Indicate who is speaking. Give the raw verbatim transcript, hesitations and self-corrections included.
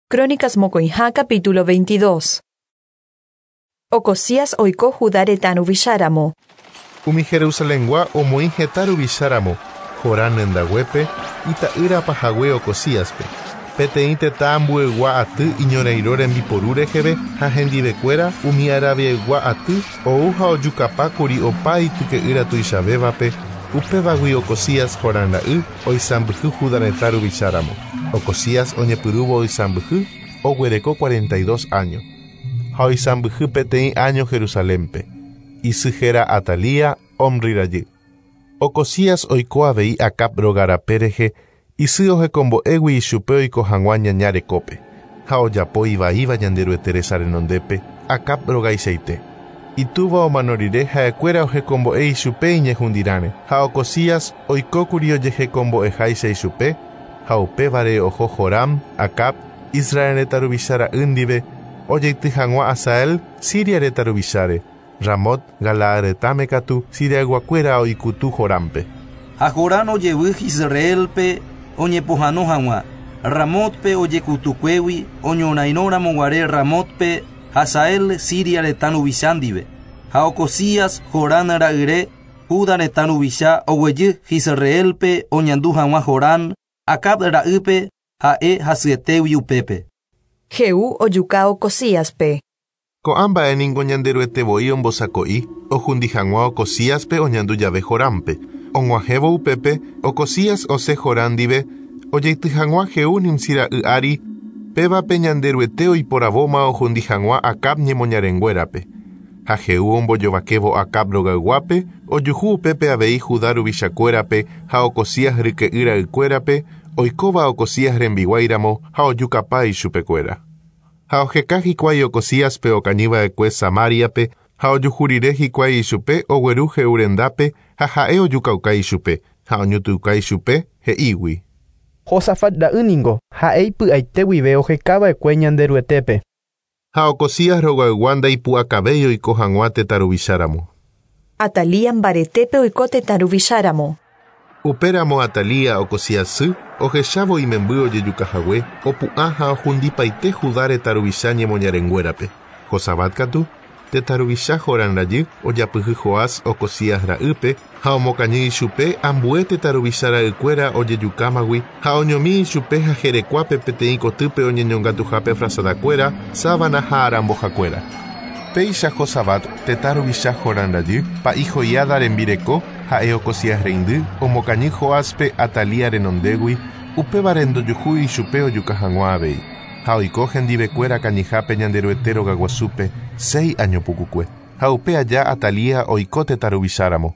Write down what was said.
Speaker 1: Crónicas mokõiha capítulo veintidós. Ocozías oiko Judá retã ruvicháramo.
Speaker 2: Umi Jerusalengua omoĩ heta ruvicháramo, Jorán rendaguépe, ita'ýra pahague Ocozíaspe. Peteĩ tetã ambuegua aty iñorairõ rembiporu reheve ha hendivekuéra umi Arabiaygua aty ou ha ojukapákuri opa ityke'ýra tuichavévape, upévagui Ocozías Jorán ra'y oisãmbyhy Judá retã ruvicháramo. Ocozías oñepyrũvo oisãmbyhy oguereko cuarenta y dos años ha oisãmbyhy peteĩ año Jerusalénpe. Isy héra Atalía, Omri rajy. Ocozías oiko avei Acab róga rape rehe, isy ohekombo'égui ichupe oiko hag̃ua ñaña rekópe, ha ojapo ivaíva Ñanderuete resa renondépe, Acab rogaichaite. Itúva omano rire ha'ekuéra ohekombo'e ichupe iñehundirãre, ha Ocozías oikókuri ojehekombo'eháicha ichupe, ha upévare oho Joram, Acab, Israel retã ruvicha ra'y ndive, ojeity hag̃ua Hazael, Siria retã ruvicháre, Ramot, Galaad retãme katu, Siriayguakuéra oikutu Jorámpe.
Speaker 3: Ha Jorán ojevy Israelpe oñepohãno hag̃ua, Ramotpe ojekutukuégui oñorairõramoguare Ramotpe Hazael Siria retã ruvicha ndive. Ha Ocozías Jorán ra'yre Judá retã ruvicha oguejy Israelpe oñandu hag̃ua Jorán, Acab ra'ýpe ha'e hasyetégui upépe.
Speaker 1: Jehú ojuka Ocozíaspe.
Speaker 2: Ko'ã mba'e ningo Ñanderuete voi ombosako'i ohundi hag̃ua Ocozíaspe oñandu jave Jorámpe. Og̃uahẽvo upépe, Ocozías osẽ Jorán ndive ojeity hag̃ua Jehú Nimsi ra'y ári, pévape Ñanderuete oiporavóma ohundi hag̃ua Acab ñemoñarenguérape. Ha Jehú ombojovakévo Acab rogayguápe, ojuhu upépe avei Judá ruvichakuérape ha Ocozías ryke'y ra'ykuérape, oikóva Ocozías rembiguáiramo ha ojukapa ichupekuéra. Ha oheka hikuái Ocozíaspe okañyva'ekue Samariape, ha ojuhu rire hikuái ichupe ogueru Jehú rendápe ha ha'e ojukauka ichupe, ha oñutuka ichupe he'ígui.
Speaker 4: Josafat ra'y ningo ha'e ipy'aite guive ohekava'ekue Ñanderuetépe.
Speaker 2: Ha Ocozías rogaygua ndaipu'akavéi oiko hag̃ua tetã ruvicháramo.
Speaker 1: Atalía mbaretépe oiko tetã ruvicháramo.
Speaker 2: Upéramo Atalía Ocozías sy ohechávo imemby ojejukahague, opu'ã ha ohundipaite Judá retã ruvicha ñemoñarenguérape. Josabat katu, tetã ruvicha Jorán rajy, ojapyhy Joás Ocozías ra'ýpe ha omokañy ichupe ambue tetã ruvicha ra'ykuéra ojejukámagui ha oñomi ichupe ha jerekuápe peteĩ kotýpe oñeñongatuhápe frazadakuéra, sábana ha arambohakuéra. Péicha Josabat, tetã ruvicha Jorán rajy, pa'i Joiada rembireko, ha'e Ocozías reindy, omokañy Joáspe Atalía renondégui, upévare ndojuhúi ichupe ojuka hag̃ua avei. Ha oiko hendivekuéra kañyhápe Ñanderuete rogaguasúpe seis año pukukue. Ha upe aja Atalía oiko tetã ruvicháramo.